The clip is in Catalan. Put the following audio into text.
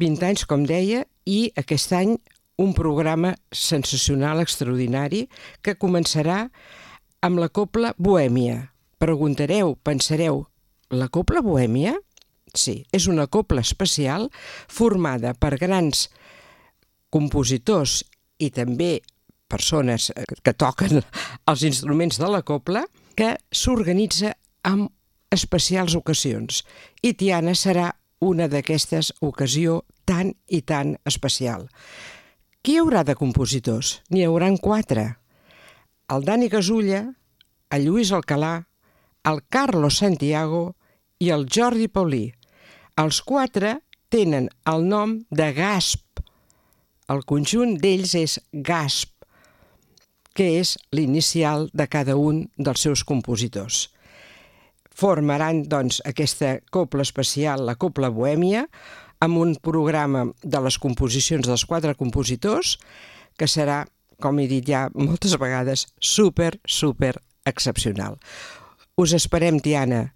20 anys, com deia, i aquest any un programa sensacional, extraordinari, que començarà amb la Cobla Bohèmia. Preguntareu, pensareu, la Cobla Bohèmia? Sí, és una cobla especial formada per grans compositors i també persones que toquen els instruments de la cobla, que s'organitza en especials ocasions. I Tiana serà una d'aquestes ocasions tan i tan especial. Qui hi haurà de compositors? N'hi hauran 4. El Dani Gasulla, el Lluís Alcalà, el Carlos Santiago i el Jordi Paulí. Els 4 tenen el nom de GASP. El conjunt d'ells és GASP, que és l'inicial de cada un dels seus compositors. Formaran, doncs, aquesta cobla especial, la Cobla Bohèmia, amb un programa de les composicions dels 4 compositors, que serà, com he dit ja moltes vegades, super excepcional. Us esperem, Tiana,